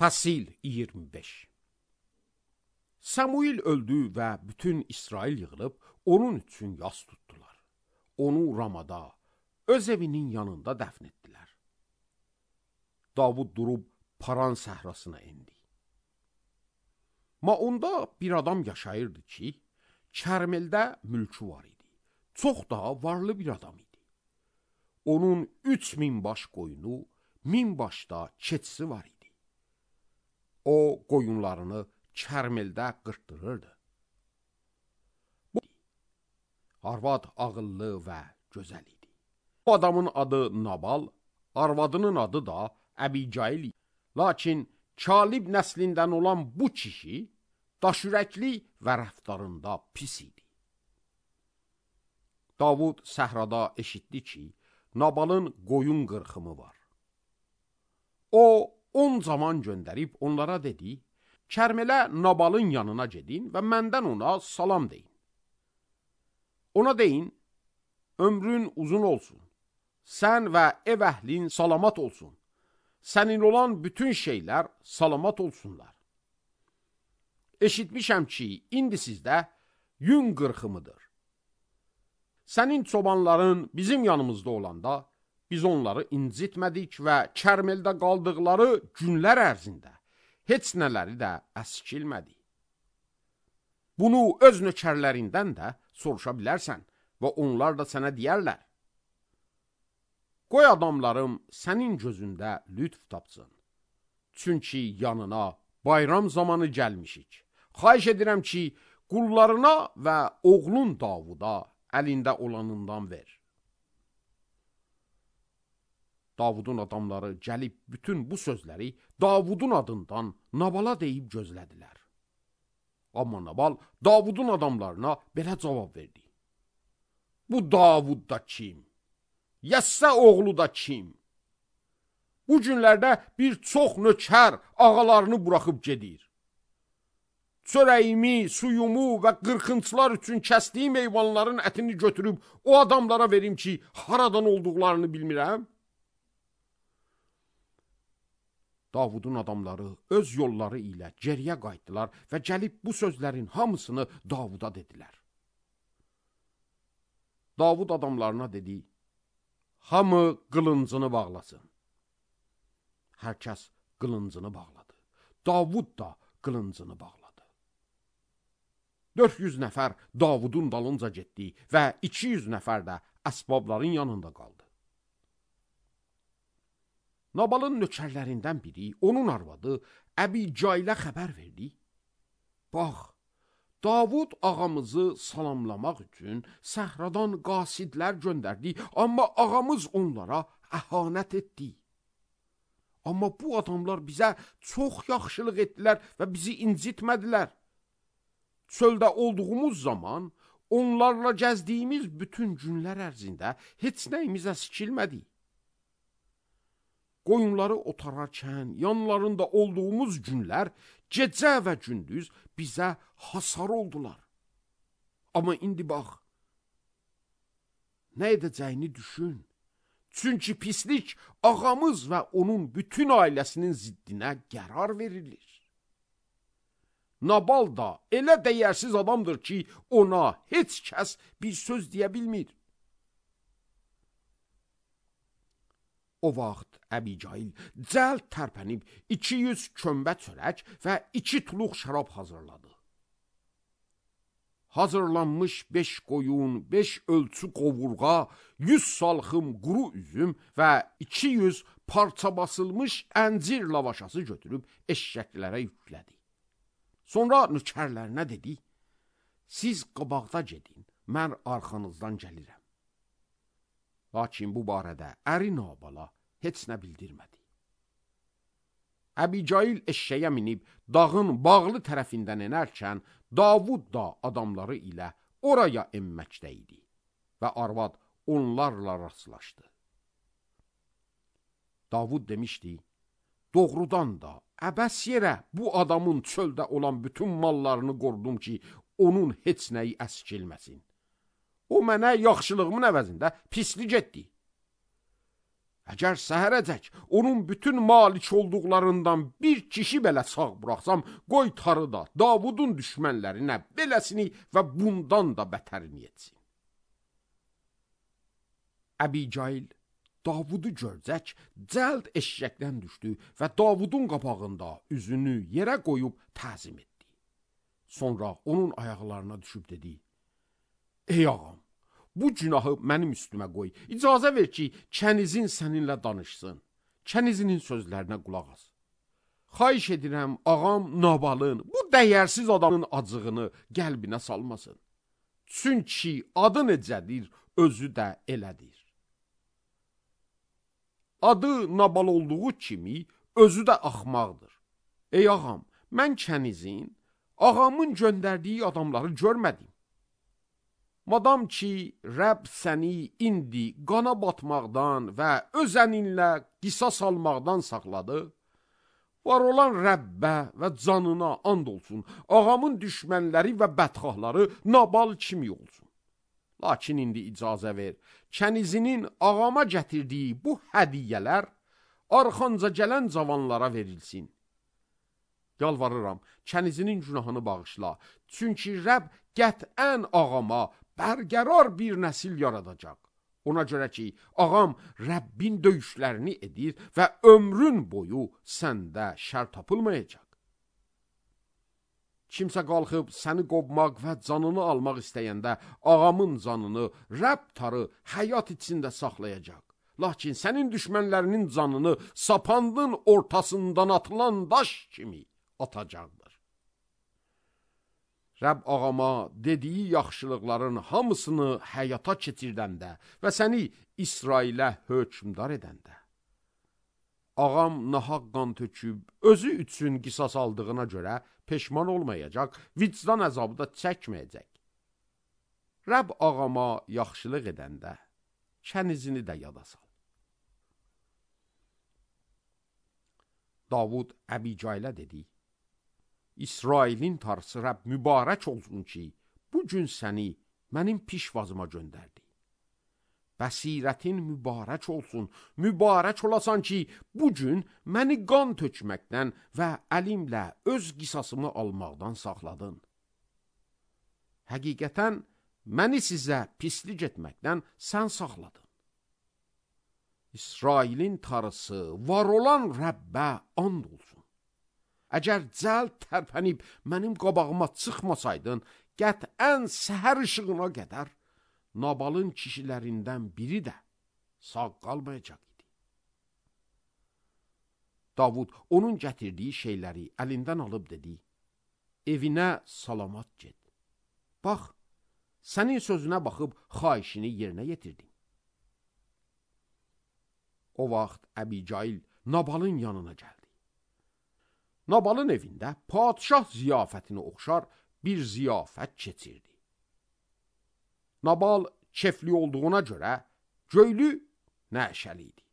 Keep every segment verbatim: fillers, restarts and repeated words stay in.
Fəsil iyirmi beş. Samuil öldü və bütün İsrail yığılıb onun üçün yas tutdular. Onu Ramada, öz evinin yanında dəfn etdilər. Davud durub Paran səhrasına endi. Ma onda bir adam yaşayırdı ki, Kərmeldə mülkü var idi. Çox daha varlı bir adam idi. Onun üç min baş qoyunu, min başda keçisi var idi. O qoyunlarını Kərmeldə qırtdırırdı. Bu arvad ağıllı və gözəl idi. Bu adamın adı Nabal, arvadının adı da Əbicail idi. Lakin Kalib nəslindən olan bu kişi daşürəkli və rəftarında pis idi. Davud səhrada eşitdi ki, Nabalın qoyun qırxımı var. O, on zaman göndərib onlara dedi, Kərmələ Nabalın yanına gedin və məndən ona salam deyin. Ona deyin, ömrün uzun olsun, sən və ev əhlin salamat olsun, sənin olan bütün şeylər salamat olsunlar. Eşitmişəm ki, indi sizdə yün qırxımıdır. Sənin çobanların bizim yanımızda olanda, biz onları incitmədik və Kərmeldə qaldıqları günlər ərzində heç nələri də əskilmədi. Bunu öz nökərlərindən də soruşa bilərsən və onlar da sənə deyərlər. Qoy adamlarım sənin gözündə lütf tapsın. Çünki yanına bayram zamanı gəlmişik. Xahiş edirəm ki, qullarına və oğlun Davuda əlində olanından ver. Davudun adamları gəlib bütün bu sözləri Davudun adından Nabala deyib gözlədilər. Amma Nabal Davudun adamlarına belə cavab verdi. Bu Davud da kim? Yəssə oğlu da kim? Bu günlərdə bir çox nökər ağalarını buraxıb gedir. Çörəyimi, suyumu və qırxıntılar üçün kəsdiyim heyvanların ətini götürüb o adamlara verim ki, haradan olduqlarını bilmirəm. Davudun adamları öz yolları ilə geriyə qayıtdılar və gəlib bu sözlərin hamısını Davuda dedilər. Davud adamlarına dedi, hamı qılıncını bağlasın. Hər kəs qılıncını bağladı. Davud da qılıncını bağladı. dörd yüz nəfər Davudun dalınca getdi və iki yüz nəfər də əsbabların yanında qaldı. Nabalın nökərlərindən biri, onun arvadı Əbicailə xəbər verdi. Bax, Davud ağamızı salamlamaq üçün səhradan qasidlər göndərdi, amma ağamız onlara əhanət etdi. Amma bu adamlar bizə çox yaxşılıq etdilər və bizi incitmədilər. Çöldə olduğumuz zaman onlarla gəzdiyimiz bütün günlər ərzində heç nəyimiz əskilmədi. Qoyunları otararkən yanlarında olduğumuz günlər gecə və gündüz bizə hasar oldular. Amma indi bax, nə edəcəyini düşün. Çünki pislik ağamız və onun bütün ailəsinin ziddinə qərar verilir. Nabal da elə dəyərsiz adamdır ki, ona heç kəs bir söz deyə bilmir. O vaxt Əbicail cəld tərpənib iki yüz kömbə çörək və iki tuluq şərab hazırladı. Hazırlanmış beş qoyun, beş ölçü qovurğa, yüz salxım quru üzüm və iki yüz parça basılmış əncir lavaşası götürüb eşşəklərə yüklədi. Sonra nökərlərinə dedi, siz qabaqda gedin, mən arxanızdan gəlirəm. Lakin bu barədə əri Nabala heç nə bildirmədi. Əbicail eşşəyə minib dağın bağlı tərəfindən enərkən, Davud da adamları ilə oraya enməkdə idi və arvad onlarla rastlaşdı. Davud demişdi, doğrudan da əbəs yerə bu adamın çöldə olan bütün mallarını qorudum ki, onun heç nəyi əskilməsin. O mənə yaxşılığımın əvəzində pislik etdi. Əgər səhərəcək onun bütün malik olduqlarından bir kişi belə sağ buraxsam, qoy tarı da Davudun düşmənlərinə beləsini və bundan da bətərini etsin. Əbicail Davudu görcək, cəld eşşəkdən düşdü və Davudun qabağında üzünü yerə qoyub təzim etdi. Sonra onun ayaqlarına düşüb dedi: Ey ağam, bu günahı mənim üstümə qoy. İcazə ver ki, kənizin səninlə danışsın. Kənizinin sözlərinə qulaq as. Xahiş edirəm, ağam Nabalın, bu dəyərsiz adamın acığını qəlbinə salmasın. Çünki adı necədir, özü də elədir. Adı Nabal olduğu kimi, özü də axmaqdır. Ey ağam, mən kənizin, ağamın göndərdiyi adamları görmədim. Madam ki, Rəbb səni indi qana batmaqdan və öz əninlə qisas almaqdan saxladı, var olan Rəbbə və canına and olsun, ağamın düşmənləri və bədxahları Nabal kimi olsun. Lakin indi icazə ver, kənizinin ağama gətirdiyi bu hədiyyələr arxanca gələn cavanlara verilsin. Yalvarıram, kənizinin günahını bağışla, çünki Rəbb qətən ağama bərqərar bir nəsil yaradacaq. Ona görə ki, ağam Rəbbin döyüşlərini edir və ömrün boyu səndə şər tapılmayacaq. Kimsə qalxıb səni qovmaq və canını almaq istəyəndə ağamın canını Rəbb tarı həyat içində saxlayacaq. Lakin sənin düşmənlərinin canını sapandın ortasından atılan daş kimi atacaqdır. Rəbb ağama dediyi yaxşılıqların hamısını həyata keçirdəndə və səni İsrailə hökmdar edəndə, ağam nahaq qan töküb, özü üçün qisas aldığına görə peşman olmayacaq, vicdan əzabı da çəkməyəcək. Rəbb ağama yaxşılıq edəndə, kənizini də yada sal. Davud Əbicailə dedi: İsrailin tarısı Rəbb mübarək olsun ki, bu gün səni mənim pişvazıma göndərdi. Bəsirətin mübarək olsun, mübarək olasan ki, bu gün məni qan tökməkdən və əlimlə öz qisasımı almaqdan saxladın. Həqiqətən, məni sizə pislik etməkdən sən saxladın. İsrailin tarısı var olan Rəbbə and olsun. Əgər cəld tərpənib mənim qabağıma çıxmasaydın, qətən səhər işığına qədər Nabalın kişilərindən biri də sağ qalmayacaq idi. Davud onun gətirdiyi şeyləri əlindən alıb dedi: Evinə salamat get. Bax, sənin sözünə baxıb xahişini yerinə yetirdim. O vaxt Əbicail Nabalın yanına gəldi. Nabalın evində padişah ziyafətini oxşar bir ziyafət keçirdi. Nabal kefli olduğuna görə göylü nəşəli idi.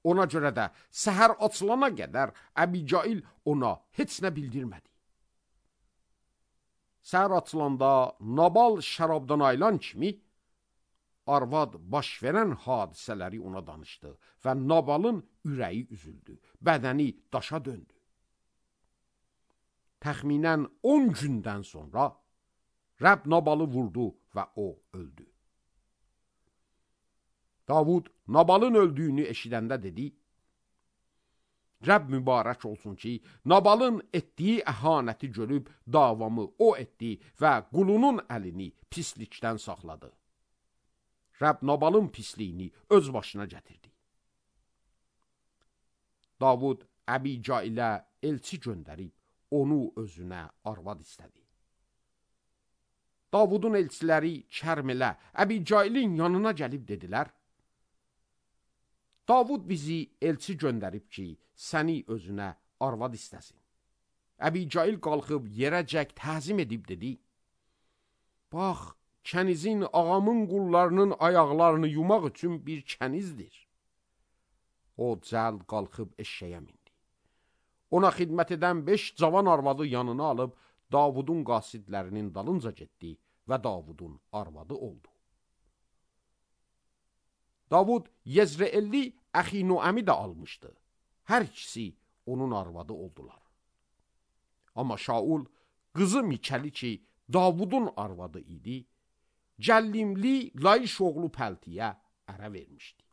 Ona görə də səhər açılana qədər Əbicail ona heç nə bildirmədi. Səhər açılanda Nabal şərabdan ayılan kimi arvad baş verən hadisələri ona danışdı və Nabalın ürəyi üzüldü, bədəni daşa döndü. Təxminən on gündən sonra Rəbb Nabalı vurdu və o öldü. Davud Nabalın öldüyünü eşidəndə dedi: Rəbb mübarək olsun ki, Nabalın etdiyi əhanəti görüb davamı o etdi və qulunun əlini pislikdən saxladı. Rəbb Nabalın pisliyini öz başına gətirdi. Davud Əbicailə elçi göndərib, onu özünə arvad istədi. Davudun elçiləri Kərmələ, Əbicailin yanına gəlib dedilər: Davud bizi elçi göndərib ki, səni özünə arvad istəsin. Əbicail qalxıb yerəcək təzim edib dedi: Bax, kənizin ağamın qullarının ayaqlarını yumaq üçün bir kənizdir. O cəld qalxıb eşşəyə mindi. Ona xidmət edən beş cavan arvadı yanına alıb, Davudun qasidlərinin dalınca getdi və Davudun arvadı oldu. Davud Yezreelli Əxinoəmi də almışdı. Hər ikisi onun arvadı oldular. Amma Şaul qızı Mikəli ki, Davudun arvadı idi, Cəllimli Layış oğlu Pəltiyə ərə vermişdi.